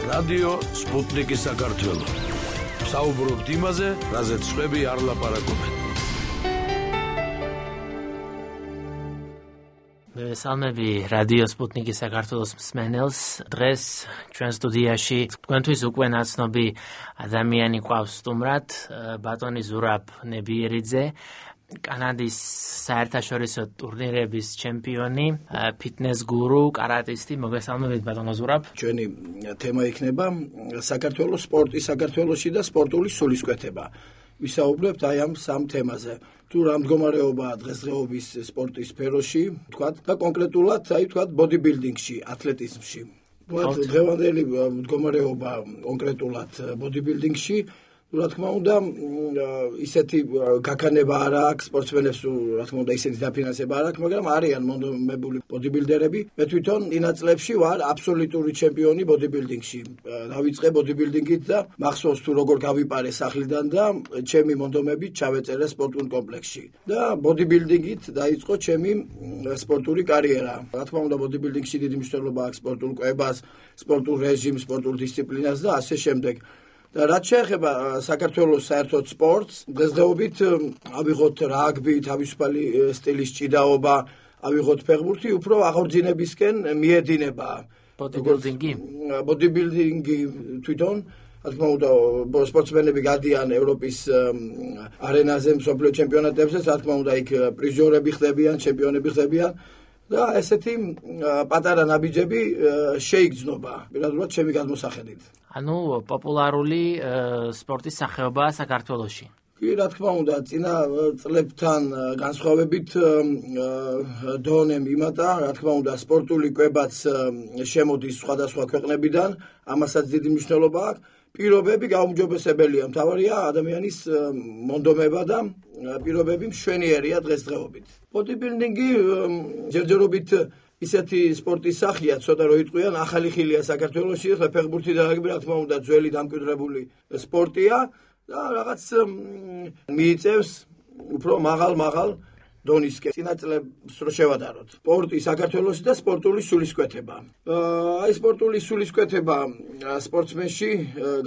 რადიო სპუტნიკი საქართველო. საუბრობთ იმაზე, რაზეც სხვები არ ლაპარაკობენ. სალმები რადიო სპუტნიკი საქართველოს მსმენელს. დღეს ჩვენ სტუდიაში თქვენთვის უკვე ნაცნობი ადამიანი ყავს სტუმრად, ბატონი ზურაბ ნებიერიძე, კანადის საერთაშორისო ტურნირების ჩემპიონი, ფიტნეს გურუ, კარატისტი. მოგესალმებით ბატონო ზურაბ. ჩვენი თემა იქნება საქართველოს სპორტი საქართველოში და სპორტული სულისკვეთება. ვისაუბრებთ აი ამ სამ თემაზე. თუ რა მდგომარეობაა დღესდღეობის სპორტის სფეროში, თქვათ და კონკრეტულად აი თქვათ ბოდიბილდინგში, ათლეტიზმში. დღევანდელი მდგომარეობა კონკრეტულად ბოდიბილდინგში, რა თქმა უნდა, ისეთი გაქანება არ აქვს სპორტსმენებს, რა თქმა უნდა, ისეთი დაფინანსება არ აქვს, მაგრამ არიან მონდომებული ბოდიბილდერები. მე თვითონ ინა წლებში ვარ აბსოლუტური ჩემპიონი ბოდიბილდინგში. დავიწყე ბოდიბილდინგით და მახსოვს თუ როგორ გავიპარე სახლიდან და ჩემი მონდომები ჩავეწერე სპორტულ კომპლექსში. და ბოდიბილდინგით დაიწყო ჩემი სპორტული კარიერა. რა თქმა უნდა, ბოდიბილდინგში დიდი მნიშვნელობა აქვს სპორტულ კვებას, სპორტულ რეჟიმს, სპორტულ დისციპლინას და ასე შემდეგ. და რაც შეეხება საქართველოს საერთოდ სპორტს, დღესდღეობით ავიღოთ რაგბი, თავისუფალი სტილის ჭიდაობა, ავიღოთ ფეხბურთი, უფრო აღორძინებისკენ მიედინება. ბოდიბილდინგი თვითონ, რა თქმა უნდა, სპორტსმენები გადიან ევროპის არენაზე, მსოფლიო ჩემპიონატებზე, რა თქმა უნდა, იქ პრიზიორები ხდებიან, ჩემპიონები ხდებიან. და ესეთი პატარა ნაბიჯები შეიგრძნობა, პირადულად ჩემი გადმოსახედით. ანუ პოპულარული სპორტის სახეობაა საქართველოში. კი, რა თქმა უნდა, წინა წლებთან განსხვავებით დონე მიმატა, რა თქმა უნდა, სპორტული კვებაც შემოდის სხვადასხვა ქვეყნებიდან, ამასაც დიდი მნიშვნელობა აქვს. პირობები გაუმჯობესებელია, მთავარია ადამიანის მონდომება და პირობები მშვენიერია დღესდღეობით. ბოდიბილდინგი ჯერჯერობით ისეთი სპორტის სახეა, ცოტა რო იტყვიან, ახალი ხილია საქართველოში, ახლა ფეხბურთი და რაგბი, რა თქმა უნდა, ძველი დამკვიდრებული სპორტია და რაღაც მიიწევს უფრო მაღალ დონისკენ. წინა წლებს რო შევადაროთ. სპორტი საქართველოში და სპორტული სულისკვეთება. აი სპორტული სულისკვეთება სპორტსმენში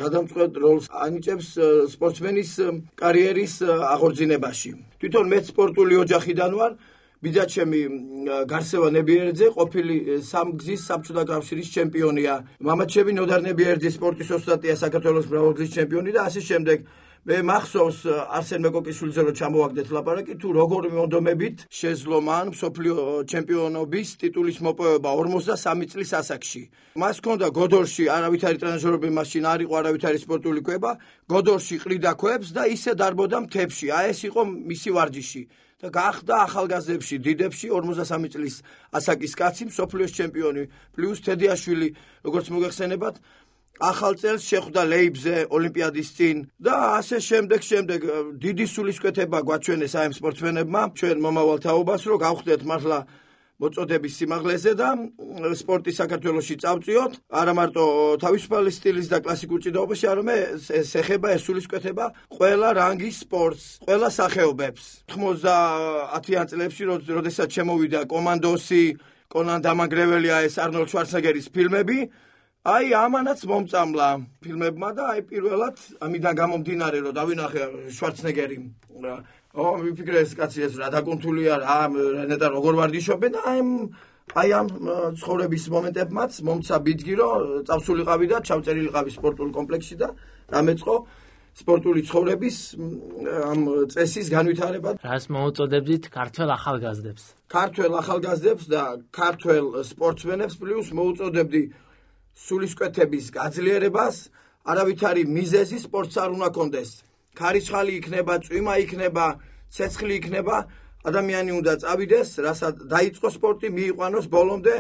გადამწყვეტ როლს ანიჭებს სპორტსმენის კარიერის აღორძინებაში. თვითონ მეც სპორტული ოჯახიდან ვარ. ბიძაჩემი გარსევა ნებიერიძე ყოფილი სამგზის საბჭოთა კავშირის ჩემპიონია. მამაჩემი ნოდარ ნებიერიძის სპორტის ოსტატია, საქართველოს მრავალგზის ჩემპიონი და ასე შემდეგ. მე მახსოვს არსენ მეკოკიშვილზე რომ ჩამოვაგდეთ ლაპარაკი, თუ როგორ მონდომებით შეძლო მან მსოფლიო ჩემპიონობის ტიტულის მოპოვება 43 წლის ასაკში. მას ჰქონდა გოდორში არავითარი ტრენაჟერები, მაშინ არ იყო არავითარი სპორტული კვება, გოდორში ყრიდა ქვებს და ისე დარბოდა მთებში. აი ეს იყო მისი ვარჯიში. და გახდა ახალგაზრდებში, დიდებში 43 წლის ასაკის კაცი, მსოფლიოს ჩემპიონი, პლუს თედიაშვილი, როგორც მოგეხსენებათ, ახალ წელს შეხვდა ლეიბზე ოლიმპიადის წინ და ასე შემდეგ დიდი სულისკვეთება გვაჩვენეს აი ამ სპორტსმენებმა, ჩვენ მომავალ თაობას, რომ გავხდეთ მართლა მოწოდების სიმაღლეზე და სპორტი საქართველოში წავწიოთ, არა მარტო თავისუფალი სტილის და კლასიკურ ჭიდაობაში, არამედ ეს ეხება ეს სულისკვეთება ყველა რანგის სპორტს, ყველა სახეობებს. 90-იან წლებში, როდესაც შემოვიდა კომანდოსი, კონან დამანგრეველია ეს არნოლდ შვარცენეგერის ფილმები, აი ამანაც მომწამლა ფილმებმა და აი პირველად ამიდან გამომდინარე რომ დავინახე შვარცენეგერი ვიფიქრე ეს კაცი ეს რა დაკუნთულია რა ნეტა როგორ ვარჯიშობენ და აი ამ ცხოვრების მომენტებმაც მომცა ბიძგი რომ წავსულიყავი და ჩავწერილიყავი სპორტულ კომპლექსში და დამეწყო სპორტული ცხოვრების ამ წესის განვითარება. რას მოუწოდებდით ქართველ ახალგაზრდებს? ქართველ ახალგაზრდებს და ქართველ სპორტსმენებს პლუს მოუწოდებდი სულისკვეთების გაძლიერებას, არავითარი მიზეზი სპორტს არ უნდა კონდეს. ქარიშხალი იქნება, წვიმა იქნება, ცეცხლი იქნება, ადამიანი უნდა წავიდეს, რასაც დაიწყო სპორტი, მიიყვანოს ბოლომდე.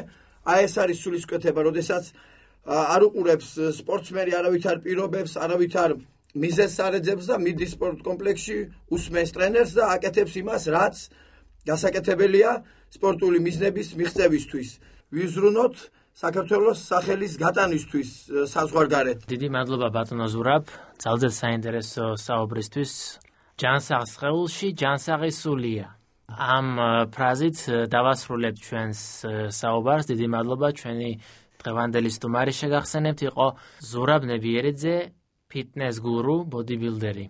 აი ეს არის სულისკვეთება, როდესაც არ უყურებს სპორტსმენი არავითარ პირობებს, არავითარ მიზეზს არ ეძებს და მიდის სპორტ კომპლექსში, უსმენს ტრენერს და აკეთებს იმას, რაც გასაკეთებელია სპორტული მიზნების მიღწევისთვის. ვიზრუნოთ საქართველოს სახელის გატანისთვის საზღვარგარეთ. დიდი მადლობა ბატონო ზურაბ, ძალზედ საინტერესო საუბრისთვის. ჯანსაღ სხეულში ჯანსაღი სულია. ამ ფრაზით დავასრულებთ ჩვენს საუბარს. დიდი მადლობა ჩვენი დღევანდელი სტუმარი შეგახსენებთ იყო ზურაბ ნებიერიძე, ფიტნეს გურუ, ბოდიბილდერი.